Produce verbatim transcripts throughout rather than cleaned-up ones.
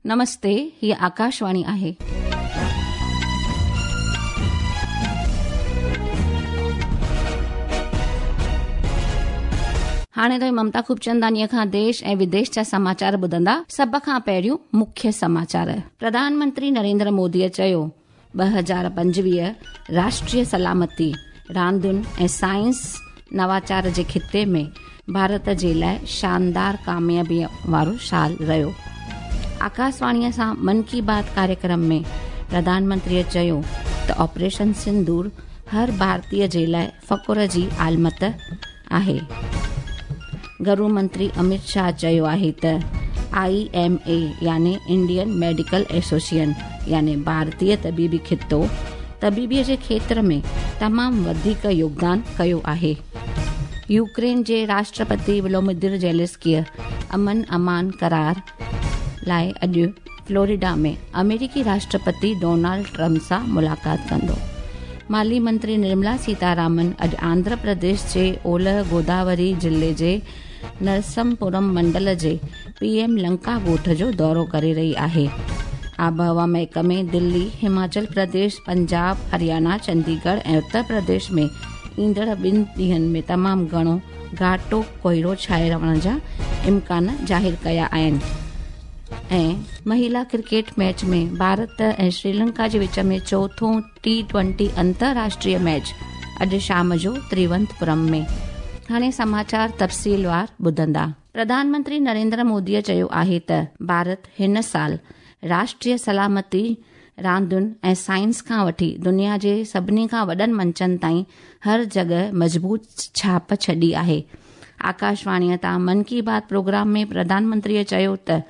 नमस्ते, ही आकाशवाणी आहे. हाणे त ममता खूबचंदानीअ खां देश ऐं विदेश जा समाचार ॿुधंदा। सभ खां पहिरियों मुख्य समाचार। प्रधानमंत्री नरेंद्र मोदीअ चयो, ॿ हज़ार पंजवीह राष्ट्रीय सलामती, रांदियुनि ऐं साइंस नवाचार जे ख़िते में भारत जे लाइ शानदार कामयाबीअ वारो साल रहियो। आकाशवाणीअ सां मन की बात कार्यक्रम में प्रधानमंत्रीअ चयो त ऑपरेशन सिंदूर हर भारतीय जे लाइ फ़ख्र जी आलमत आहे। घरू मंत्री अमित शाह चयो आहे त I M A यानी इंडियन मेडिकल एसोसिएशन यानी भारतीय तबीबी ख़ितो तबीबीअ जे क्षेत्र में तमामु वधीक योगदान कयो आहे। यूक्रेन जे राष्ट्रपति व्लादिमीर ज़ेलेंस्कीअ अमन अमान करार लाइ अॼु फ्लोरिडा में अमेरिकी राष्ट्रपति डोनाल्ड ट्रंप सां मुलाक़ात कंदो। माली मंत्री निर्मला सीतारामन अॼु आंध्र प्रदेश जे ओलह गोदावरी ज़िले जे नरसमपुरम मंडल जे पीएम लंका ॻोठ जो दौरो करे रही आहे। आबहवा महकमे दिल्ली, हिमाचल प्रदेश, पंजाब, हरियाणा, चंडीगढ़ ऐं उत्तर प्रदेश में ईंदड़ ॿिनि ॾींहंनि में तमामु घणो घाटो कोहिरो छाए रहण जा इम्कान ज़ाहिर कया आहिनि। ऐं महिला क्रिकेट मैच में भारत ऐं श्रीलंका जे विच में चोथों टी ट्वेंटी अंतर्राष्ट्रीय मैच अॼु शाम जो तिरुवनंतपुरम में। हाणे समाचार तफ़सीलवार ॿुधंदा। प्रधानमंत्री नरेंद्र मोदीअ चयो आहे त भारत हिन साल राष्ट्रीय सलामती, रांदियुनि ऐं साइंस खां वठी दुनिया जे सभिनी खां वॾनि मंचनि ताईं हर जॻह मज़बूत छाप छॾी आहे। आकाशवाणीअ तां मन की बात प्रोग्राम में प्रधानमंत्रीअ चयो त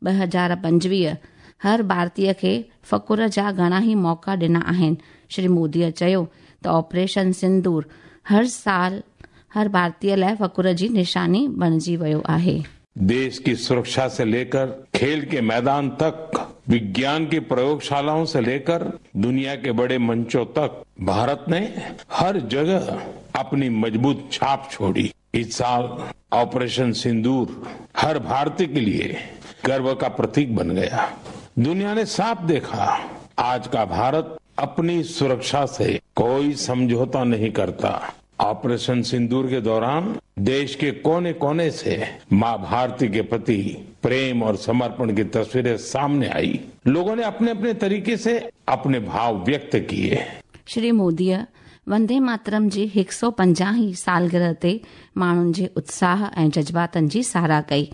ॿ हज़ार पंजवीह हर भारतीय खे फ़ख्र जा घणा ई मौक़ा ॾिना आहिनि। श्री मोदीअ चयो त ऑपरेशन सिंदूर हर साल हर भारतीय लाइ फ़ख्र जी निशानी बणिजी वियो आहे। देश की सुरक्षा से लेकर खेल के मैदान तक, विज्ञान की प्रयोगशालाओं से लेकर दुनिया के बड़े मंचों तक भारत ने हर जगह अपनी मजबूत छाप छोड़ी। इस साल ऑपरेशन सिंदूर हर भारतीय के लिए गर्व का प्रतीक बन गया। दुनिया ने साफ देखा, आज का भारत अपनी सुरक्षा से कोई समझौता नहीं करता। ऑपरेशन सिंदूर के दौरान देश के कोने कोने से मां भारती के प्रति प्रेम और समर्पण की तस्वीरें सामने आई। लोगों ने अपने अपने तरीके से अपने भाव व्यक्त किए। श्री मोदीअ वंदे मातरम जी हिकु सौ पंजाहीं सालगिरह ते माण्हुनि जे उत्साह ऐं जज़्बातनि जी सराह कई।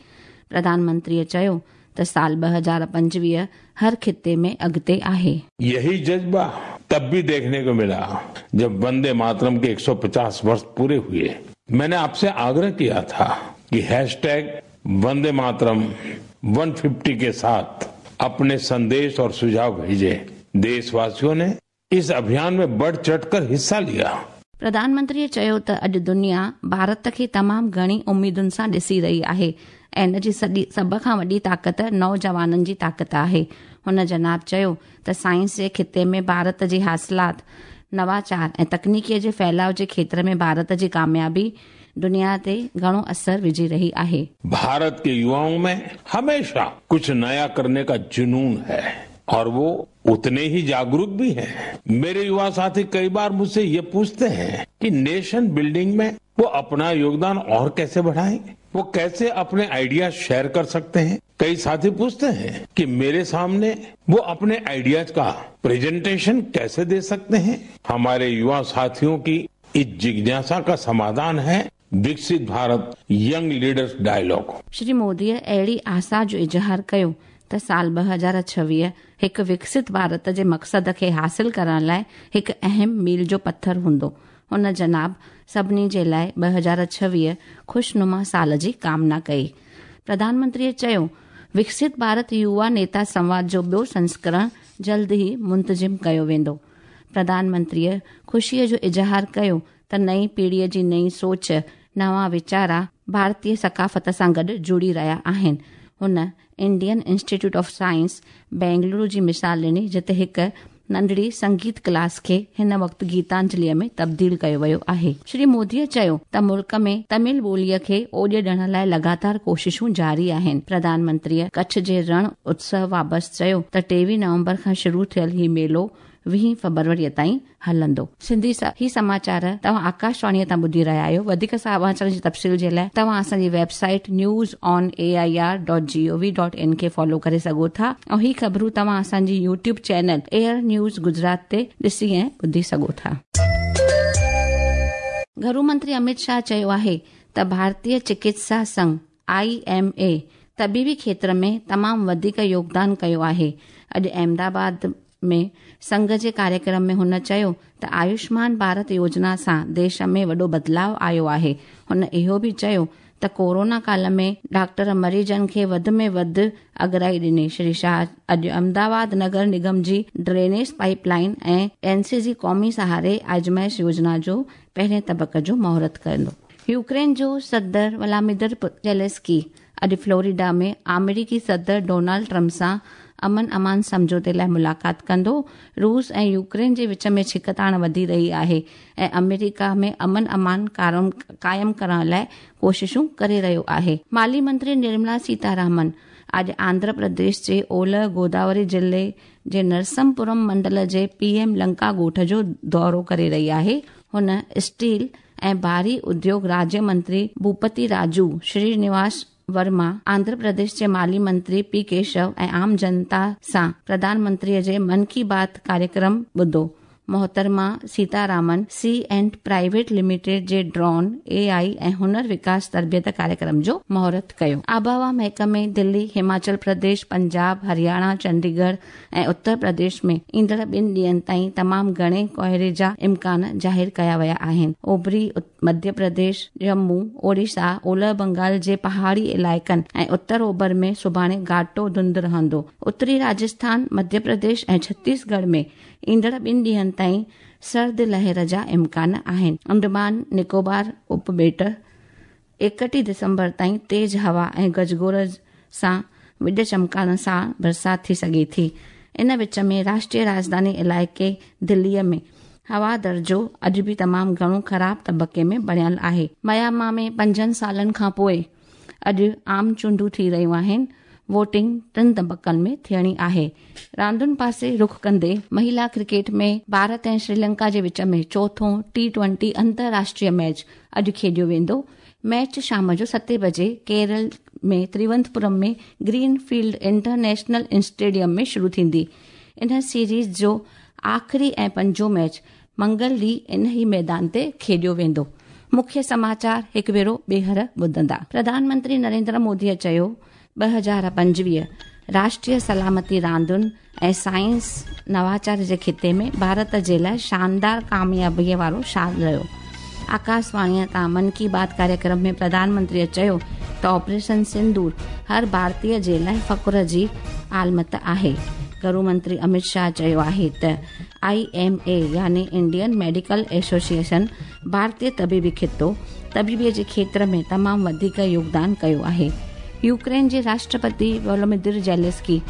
प्रधानमंत्रीअ चयो त साल ॿ हज़ार पंजवीह हर खिते में अॻिते आहे। यही जज्बा तब भी देखने को मिला जब वंदे मातरम के एक सौ पचास वर्ष पूरे हुए। मैंने आपसे आग्रह किया था कि हैशटैग वंदे मातरम एक सौ पचास के साथ अपने संदेश और सुझाव भेजे। देशवासियों ने इस अभियान में बढ़ चढ़कर हिस्सा लिया। प्रधानमंत्रीअ चयो त अॼु दुनिया भारत खे तमामु घणी उम्मीदुनि सां ॾिसी रही आहे ऐं इन जी सॼी सभ खां वॾी ताक़त नौजवाननि जी ताक़त आहे। हुन जनाब चयो त साइंस जे ख़िते में भारत जी हासिलात, नवाचार ऐं तकनीकीअ जे फैलाव जे क्षेत्र में भारत जी कामयाबी दुनिया ते घणो असर विझी रही आहे। भारत के युवाओं में हमेशा कुछ नया करने का जुनून है और वो उतने ही जागरूक भी हैं। मेरे युवा साथी कई बार मुझसे ये पूछते हैं कि नेशन बिल्डिंग में वो अपना योगदान और कैसे बढ़ाएं, वो कैसे अपने आइडिया शेयर कर सकते हैं। कई साथी पूछते हैं कि मेरे सामने वो अपने आइडियाज का प्रेजेंटेशन कैसे दे सकते हैं। हमारे युवा साथियों की इस जिज्ञासा का समाधान है Viksit Bharat young leaders dialogue. Shri मोदीअ अहिड़ी आशा जो इज़हार कयो त साल ॿ हज़ार छवीह हिकु विकसित भारत जे मक़सद खे हासिल करण लाइ हिकु अहम मील जो पथर हूंदो। हुन जनाब सभिनी जे लाइ ॿ हज़ार छवीह ख़ुशनुमा साल जी कामना कई। प्रधानमंत्रीअ चयो, विकसित भारत युवा नेता संवाद जो ॿियो संस्करण जल्द ई मुंतज़िम कयो वेंदो। प्रधानमंत्रीअ ख़ुशीअ जो इज़हार कयो त नई पीढ़ीअ जी नई सोच, नवां वीचारा भारतीय सकाफ़त सां गॾु जुड़ी रहिया आहिनि। हुन Indian Institute of Science Bengaluru जी मिसाल ॾिनी, जिते हिकु नंढड़ी संगीत क्लास खे हिन वक़्तु गीतांजलीअ में तब्दील कयो वियो आहे। श्री मोदीअ चयो त मुल्क में तमिल ॿोलीअ खे ओॾ ॾियण लाइ लगातार कोशिशूं जारी आहिनि। प्रधानमंत्रीअ कच्छ जे रण उत्सव बाबति चयो त टेवीह नवंबर खां शुरू थियल ही मेलो वीह फरवरीअ ताईं हलंदो। सिंधी ही समाचार तव्हां आकाशवाणीअ तां ॿुधी रहिया आहियो। वधीक समाचारनि जी तफ़सील जे लाइ तव्हां असांजी website news on A I R dot G O V dot in खे फॉलो करे सघो था ऐं ही ख़बरूं तव्हां असांजी YouTube channel AIR news Gujarat ते ॾिसी ऐं ॿुधी सघो था। घरू मंत्री अमित शाह चयो आहे त भारतीय चिकित्सा संघ I M A तबीबी क्षेत्र में तमामु वधीक योगदान कयो आहे। अॼु अहमदाबाद में संघ जे कार्यक्रम में हुन चयो त आयुष्मान भारत योजना सां देश में वॾो बदिलाव आयो आहे। हुन इहो बि चयो त कोरोना काल में डॉक्टर मरीज़नि खे वधि में वधि अगराई ॾिनी। श्री शाह अॼु अहमदाबाद नगर निगम जी ड्रेनेज पाइपलाइन ऐं एनसीजी क़ौमी सहारे आज़माइश योजना जो पहिरें तबक़ जो मुहूर्त कंदो। यूक्रेन जो सदर व्लादिमीर ज़ेलेंस्की अॼु फ्लोरिडा में आमेरिकी सदर डोनाल्ड ट्रंप सां अमन अमान सम्झौते लाइ मुलाक़ात कंदो। रूस ऐं यूक्रेन जे विच में छिकताण वधी रही आहे ऐं अमेरिका में अमन अमान क़ाइमु करण लाइ कोशिशूं करे रहियो आहे। माली मंत्री निर्मला सीतारामन अॼु आंध्र प्रदेश जे ओलह गोदावरी ज़िले जे नरसमपुरम मंडल जे पीएम लंका ॻोठ जो दौरो करे रही आहे। हुन स्टील ऐं भारी उद्योग राज्य मंत्री भूपति राजू श्रीनिवास वर्मा, आंध्र प्रदेश जे माली मंत्री पी केशव ऐं आम जनता सां प्रधानमंत्रीअ जे मन की बात कार्यक्रम ॿुधो। मोहतरमा Sitharaman C and private limited जे ड्रोन ए आई ऐं हुनर विकास तरबियत कार्यक्रम जो मुहूर्त कयो। आबहवा महकमे दिल्ली, हिमाचल प्रदेश, पंजाब, हरियाणा, चंडीगढ़ ऐं उत्तर प्रदेश में ईंदड़ ॿिनि ॾींहनि ताईं तमामु घणे कोहरे जा इम्कान ज़ाहिर कया विया आहिनि। ओभरी मध्य प्रदेश, जम्मू, ओडिशा, ओलह बंगाल जे पहाड़ी इलाइक़नि ऐं उत्तर ओभर में सुभाणे घाटो धुंध रहंदो। उत्तरी राजस्थान, मध्य प्रदेश ऐं छत्तीसगढ़ में ईंदड़ ॿिनि ॾींहनि ताईं सर्द लहर जा इम्कान आहिनि। अंडमान निकोबार उपॿेट एकटीह दिसंबर ताईं तेज़ हवा ऐं गजगोर सां विॾ चमकाइण सां बरसाति थी सघे थी। इन विच में राष्ट्रीय राजधानी इलाइक़े दिल्लीअ में हवा दर्जो अॼु बि तमामु घणो ख़राब तबक़े में बणियल आहे। म्यांमार में पंजनि सालनि खां पोइ अॼु आम चूंडूं थी रहियूं आहिनि। वोटिंग टिनि तबक़नि में थियणी आहे। रांदुनि पासे रुख कंदे महिला क्रिकेट में भारत ऐं श्रीलंका जे विच में चोथों टी ट्वेंटी अंतर्राष्ट्रीय मैच अॼु खेॾियो वेंदो। मैच शाम जो सते बजे केरल में तिरुवनंतपुरम में ग्रीन फील्ड इंटरनेशनल स्टेडियम में शुरू थींदी। इन सीरीज़ जो आख़िरी ऐं पंजों मैच मंगल ॾींहुं इन ई मैदान ते खेॾियो वेंदो। मुख्य समाचार हिकु भेरो ॿीहर ॿुधंदा। प्रधानमंत्री नरेंद्र मोदीअ चयो ॿ हज़ार पंजवीह राष्ट्रीय सलामती रांदुनि ऐं साइंस नवाचार जे ख़िते में भारत जे लाइ शानदार कामयाबीअ वारो साल रहियो। आकाशवाणीअ तां मन की बात कार्यक्रम में प्रधानमंत्रीअ चयो त ऑपरेशन सिंदूर हर भारतीय जे लाइ फ़ख्र जी आलमत आहे। घरू मंत्री अमित शाह चयो आहे त I M A यानी इंडियन मेडिकल एसोसिएशन भारतीय तबीबी ख़ितो तबीबीअ जे क्षेत्र में तमामु वधीक योगदान कयो आहे। यूक्रेन जे राष्ट्रपति वोलोदिमिर ज़ेलेंस्की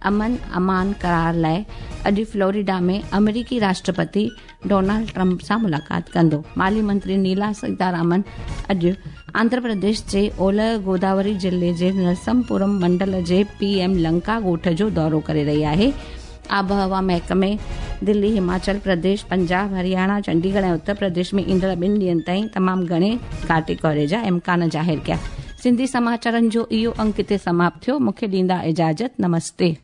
अमन अमान करार लाइ अॼु फ्लोरिडा में अमेरिकी राष्ट्रपति डोनाल्ड ट्रंप सां मुलाक़ात कंदो। माली मंत्री नीला सीतारामन अॼु आंध्र प्रदेश जे ओलह गोदावरी ज़िले जे नरसमपुरम मंडल जे पीएम लंका ॻोठ जो दौरो करे रही आहे। आबहवा महकमे दिल्ली, हिमाचल प्रदेश, पंजाब, हरियाणा, चंडीगढ़ ऐं उत्तर प्रदेश में ईंदड़ ॿिनि ॾींहनि ताईं तमामु घणे घाटे कोहरे जा इम्कान ज़ाहिर कया। सिंधी समाचारनि जो इहो अंक हिते समाप्त थियो। मूंखे ॾींदा इजाज़त। नमस्ते।